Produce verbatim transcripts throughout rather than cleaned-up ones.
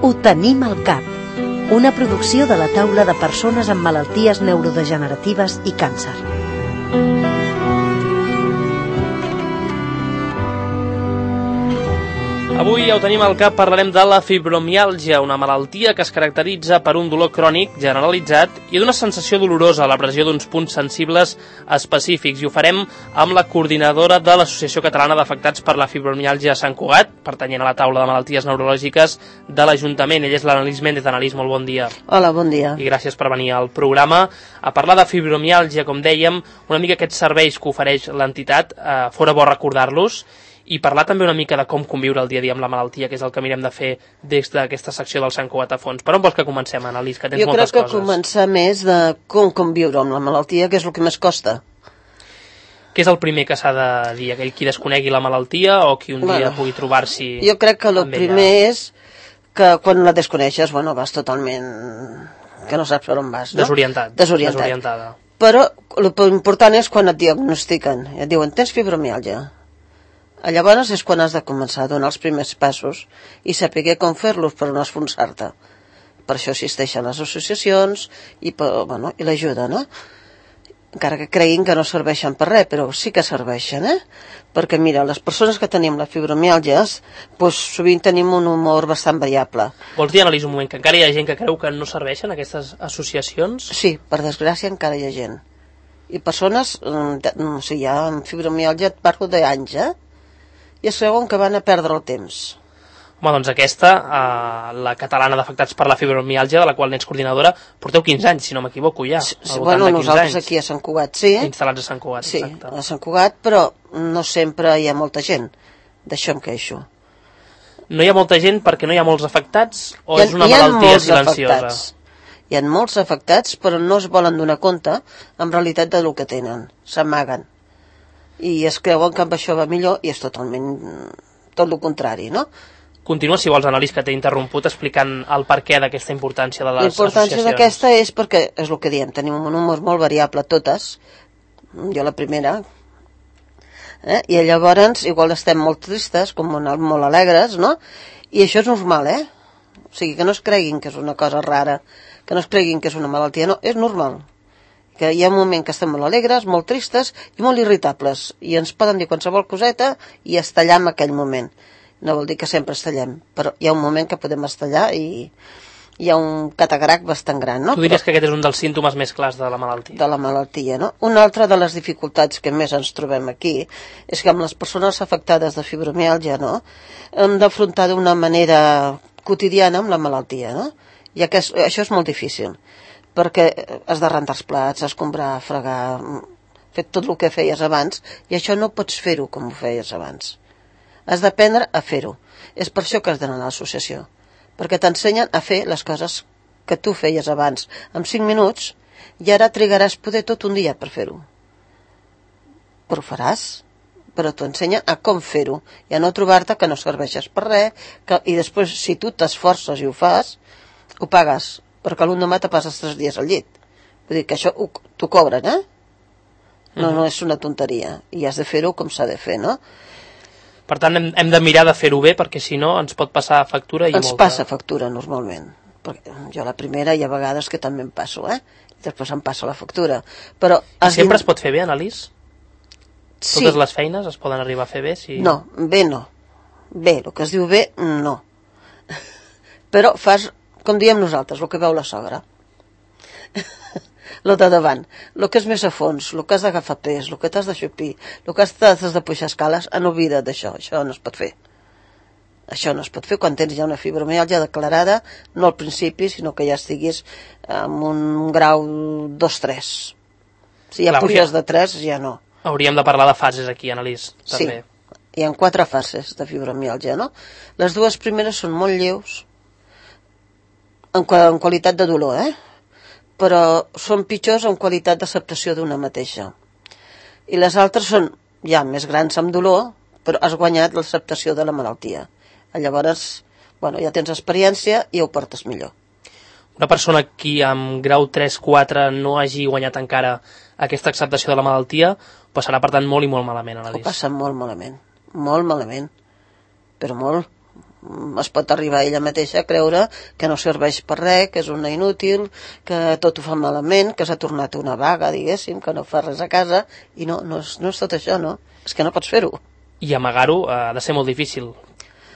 Ho tenim al cap, una producció de la taula de persones amb malalties neurodegeneratives i càncer. Avui ja ho tenim al cap, parlarem de la fibromiàlgia, una malaltia que es caracteritza per un dolor crònic generalitzat i d'una sensació dolorosa a la pressió d'uns punts sensibles específics. I ho farem amb la coordinadora de l'Associació Catalana d'Afectats per la Fibromiàlgia a Sant Cugat, pertanyent a la taula de malalties neurològiques de l'Ajuntament. Ella és l'Analís Méndez. Analís, molt bon dia. Hola, bon dia. I gràcies per venir al programa a parlar de fibromiàlgia, com dèiem, una mica aquests serveis que ofereix l'entitat, eh, fora bo recordar-los, i parlar també una mica de com conviure el dia a dia amb la malaltia, que és el que mirem de fer des d'aquesta secció del Sant Cugat a fons. Per on vols que comencem, Analís, que tens jo moltes coses? Jo crec que començar més de com conviure amb la malaltia, que és el que més costa. Què és el primer que s'ha de dir? Aquell qui desconegui la malaltia o qui un bueno, dia pugui trobar-s'hi amb ella? Jo crec que el primer és que quan la desconeixes, bueno, vas totalment... que no saps per on vas, no? Desorientat. Desorientat. Desorientada. Però l'important és quan et diagnostiquen. Et diuen, tens fibromiàlgia. Llavors és quan has de començar a donar els primers passos i saber com fer-los per no esfonsar-te. Per això existeixen les associacions i, bueno, i l'ajuda, no? Encara que creguin que no serveixen per res, però sí que serveixen, eh? Perquè, mira, les persones que tenim la fibromiàlgia, doncs sovint tenim un humor bastant variable. Vols dir, Analís, un moment, que encara hi ha gent que creu que no serveixen aquestes associacions? Sí, per desgràcia encara hi ha gent. I persones, o sigui, ja amb fibromiàlgia et parlo d'anys, eh? I es creuen que van a perdre el temps. Home, doncs aquesta, eh, la catalana d'afectats per la fibromiàlgia, de la qual n'ets coordinadora, porteu quinze anys, si no m'equivoco, ja. Sí, bueno, nosaltres anys. Aquí a Sant Cugat, sí. Instal·lats a Sant Cugat, sí, exacte. Sí, a Sant Cugat, però no sempre hi ha molta gent. D'això em queixo. No hi ha molta gent perquè no hi ha molts afectats o ha, és una malaltia silenciosa? Afectats. Hi ha molts afectats, però no es volen donar compte en realitat del que tenen. S'amaguen. I es creuen que amb això va millor i és totalment tot el contrari, no? Continua, si vols, Analís, que t'he interromput explicant el perquè d'aquesta importància de les associacions. La importància d'aquesta és perquè, és el que diem, tenim un humor molt variable totes, jo la primera, eh? I llavors igual estem molt tristes, com molt alegres, no? I això és normal, eh? O sigui, que no es creguin que és una cosa rara, que no es creguin que és una malaltia, no, és normal. Que hi ha un moment que estem molt alegres, molt tristes i molt irritables, i ens poden dir qualsevol coseta i estallar en aquell moment. No vol dir que sempre estallem, però hi ha un moment que podem estallar i hi ha un catarac bastant gran, no? Tu diries però, que aquest és un dels símptomes més clars de la malaltia. De la malaltia, no? Una altra de les dificultats que més ens trobem aquí és que amb les persones afectades de fibromiàlgia, no?, hem d'afrontar d'una manera quotidiana amb la malaltia, no? I aquest, això és molt difícil, perquè has de rentar els plats, escombrar, fregar, fer tot el que feies abans, i això no pots fer-ho com ho feies abans. Has d'aprendre a fer-ho. És per això que has d'anar a l'associació, perquè t'ensenyen a fer les coses que tu feies abans en cinc minuts, i ara trigaràs poder tot un dia per fer-ho. Però ho faràs, però t'ho ensenyen a com fer-ho, i a no trobar-te que no serveixes per res, que, i després, si tu t'esforces i ho fas, ho pagues, perquè l'endemà te passes tres dies al llit. Vull dir que això t'ho cobren, eh? No, no és una tonteria. I has de fer-ho com s'ha de fer, no? Per tant, hem, hem de mirar de fer-ho bé, perquè si no ens pot passar factura i ens molta... passa factura, normalment. Perquè jo la primera hi ha vegades que també em passo, eh? I després em passa la factura. Però... I sempre es pot fer bé, Analís? Sí. Totes les feines es poden arribar a fer bé? Si... No, bé no. Bé, el que es diu bé, no. Però fas... com diem nosaltres, el que veu la sogra. Lo de davant. El que és més a fons, el que has d'agafar pes, el que t'has de xupir, el que has de pujar escales, en oblida't d'això. Això no es pot fer. Això no es pot fer quan tens ja una fibromiàlgia declarada, no al principi, sinó que ja estiguis amb un grau dos tres. Si ja puges de tres, ja no. Hauríem de parlar de fases aquí, Analís, també. Sí, hi ha quatre fases de fibromiàlgia, no? Les dues primeres són molt lleus, en qualitat de dolor, eh? Però són pitjors en qualitat d'acceptació d'una mateixa. I les altres són ja més grans amb dolor, però has guanyat l'acceptació de la malaltia. Llavors, bueno, ja tens experiència i ho portes millor. Una persona que amb grau tres quatre no hagi guanyat encara aquesta acceptació de la malaltia, passarà per tant molt i molt malament, Analís. Ho passa molt malament, molt malament, però molt, es pot arribar ella mateixa a creure que no serveix per res, que és una inútil, que tot ho fa malament, que s'ha tornat una vaga, diguéssim, que no fa res a casa, i no, no, és, no és tot això, no? És que no pots fer-ho. I amagar-ho ha de ser molt difícil.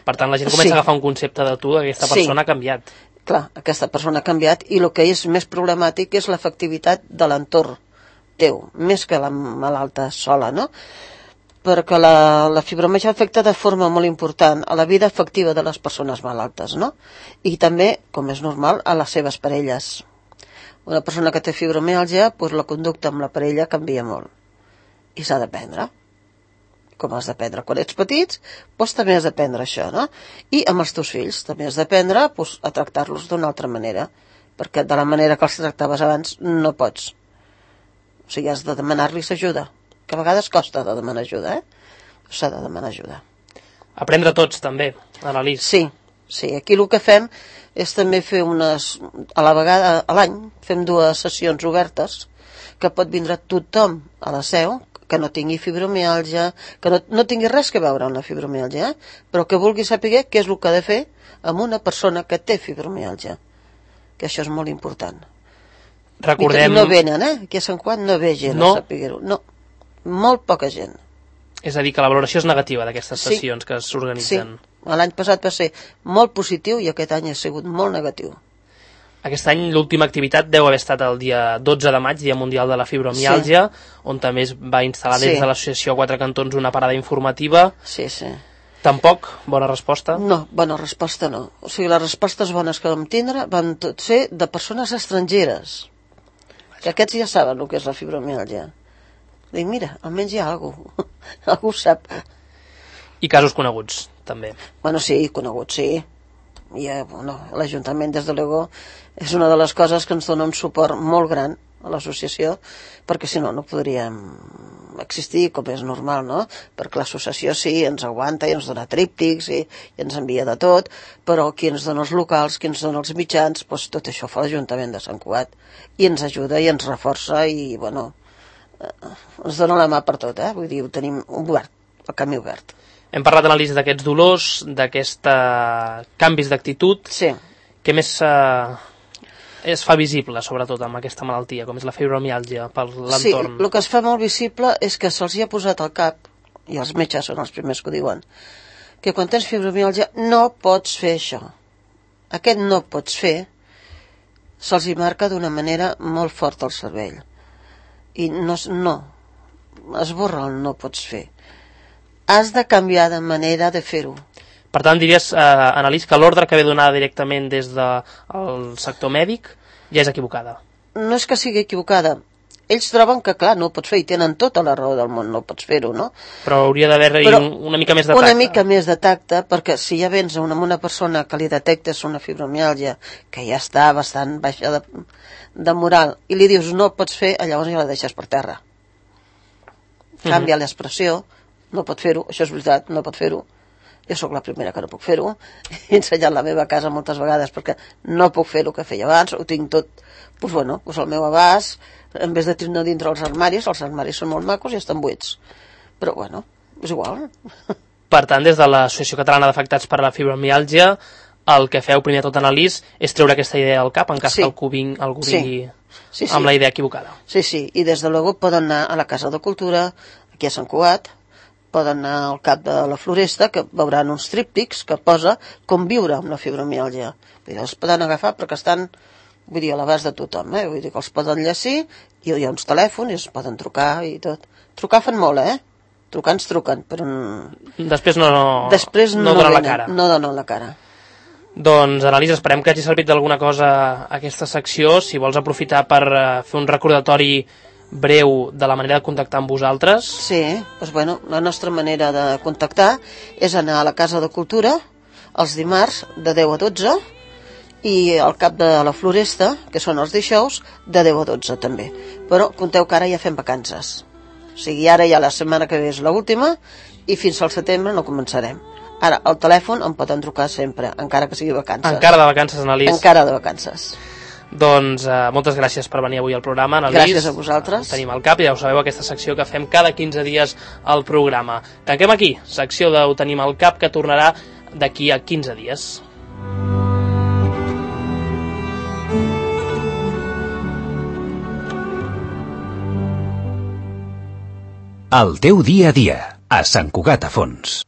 Per tant, la gent comença Sí. a agafar un concepte de tu, aquesta persona Sí. ha canviat. Clar, aquesta persona ha canviat i el que és més problemàtic és l'efectivitat de l'entorn teu, més que la malalta sola, no? Perquè la, la fibromiàlgia afecta de forma molt important a la vida afectiva de les persones malaltes, no? I també, com és normal, a les seves parelles. Una persona que té fibromiàlgia, doncs la conducta amb la parella canvia molt. I s'ha d'aprendre. Com has d'aprendre quan ets petits, doncs també has d'aprendre això, no? I amb els teus fills també has d'aprendre doncs, a tractar-los d'una altra manera, perquè de la manera que els tractaves abans no pots. O sigui, has de demanar-los ajuda, que a vegades costa de demanar ajuda, eh? S'ha de demanar ajuda. Aprendre tots, també, Annalís. Sí, sí, aquí el que fem és també fer unes... A la vegada, a l'any, fem dues sessions obertes, que pot vindre tothom a la seu, que no tingui fibromiàlgia, que no, no tingui res que veure amb la fibromiàlgia, eh? Però que vulgui saber què és el que ha de fer amb una persona que té fibromiàlgia, que això és molt important. Recordem... I no venen, eh? Aquí a Sant Juan no ve gent no. a saber-ho. No, molt poca gent. És a dir, que la valoració és negativa d'aquestes Sí. sessions que s'organitzen. Sí, l'any passat va ser molt positiu i aquest any ha sigut molt negatiu. Aquest any l'última activitat deu haver estat el dia dotze de maig, Dia Mundial de la Fibromiàlgia, sí. on també es va instal·lar des Sí. de l'associació Quatre Cantons una parada informativa. Sí, sí. Tampoc, bona resposta. No, bona resposta no. O sigui, les respostes bones que vam tindre van tot ser de persones estrangeres, que aquests ja saben el que és la fibromiàlgia. Dic, mira, almenys hi ha algú, algú ho sap. I casos coneguts, també. Bueno, sí, conegut, sí. I, eh, bueno, l'Ajuntament, des de luego, és una de les coses que ens dona un suport molt gran a l'associació, perquè si no, no podríem existir com és normal, no? Perquè l'associació sí, ens aguanta i ens dona tríptics i, i ens envia de tot, però qui ens dona els locals, qui ens dona els mitjans, doncs tot això fa l'Ajuntament de Sant Cugat. I ens ajuda i ens reforça i, bueno, eh, ens dona la mà per tot, eh? Vull dir, ho tenim obert, el camí obert. Hem parlat, Annalís, d'aquests dolors, d'aquests canvis d'actitud. Sí. Què més eh, es fa visible, sobretot, amb aquesta malaltia, com és la fibromiàlgia, per l'entorn? Sí, el que es fa molt visible és que se'ls hi ha posat al cap, i els metges són els primers que ho diuen, que quan tens fibromiàlgia no pots fer això. Aquest no pots fer se'ls hi marca d'una manera molt forta al cervell. I no, no, esborra el no pots fer. Has de canviar de manera de fer-ho. Per tant, diries, eh, Annalís, que l'ordre que ve donada directament des del sector mèdic ja és equivocada. No és que sigui equivocada. Ells troben que, clar, no ho pots fer, i tenen tota la raó del món, no pots fer-ho, no? Però hauria d'haver-hi un, una mica més de tacte. Una mica més de tacte, perquè si ja vens a una, una persona que li detectes una fibromiàlgia, que ja està bastant baixa de, de moral, i li dius no pots fer, llavors ja la deixes per terra. Canvia uh-huh. l'expressió, no pot fer-ho, això és veritat, no pot fer-ho. Jo sóc la primera que no puc fer-ho. He ensenyat la meva casa moltes vegades perquè no puc fer el que feia abans, ho tinc tot, doncs bueno, doncs al meu abast, en vez de tenir dintre els armaris, els armaris són molt macos i estan buits. Però bueno, és igual. Per tant, des de l'Associació Catalana d'Afectats per la Fibromiàlgia, el que feu primer tot, Annalís, és treure aquesta idea del cap en cas sí. que algú vingui, algú vingui sí. Sí, sí. amb la idea equivocada. Sí, sí, i des de luego poden anar a la Casa de Cultura, aquí a Sant Cugat, poden anar al cap de la Floresta, que veuran uns tríptics que posa com viure amb la fibromiàlgia. Vull dir, els poden agafar perquè estan, vull dir, a l'abast de tothom, eh? Vull dir que els poden llegir, i hi ha uns telèfons i es poden trucar i tot. Trucar fan molt, eh? Trucar ens truquen, però... Després no, no, Després no, no donen venen, la cara. No donen la cara. Doncs, Annalís, esperem que hagi servit d'alguna cosa aquesta secció. Si vols aprofitar per uh, fer un recordatori breu de la manera de contactar amb vosaltres. Sí, doncs bueno, la nostra manera de contactar és anar a la Casa de Cultura els dimarts de deu a dotze i al cap de la Floresta, que són els dijous, de deu a dotze també. Però compteu que ara ja fem vacances. O sigui, ara ja la setmana que ve és l'última i fins al setembre no començarem. Ara, al telèfon em poden trucar sempre, encara que sigui vacances. Encara de vacances, Annalís. Encara de vacances. Doncs uh, moltes gràcies per venir avui al programa, Annalís. Gràcies a vosaltres. Tenim al cap, ja ho sabeu, aquesta secció que fem cada quinze dies al programa. Tanquem aquí, secció de Ho tenim al cap, que tornarà d'aquí a quinze dies. El teu dia a dia, a Sant Cugat a Fons.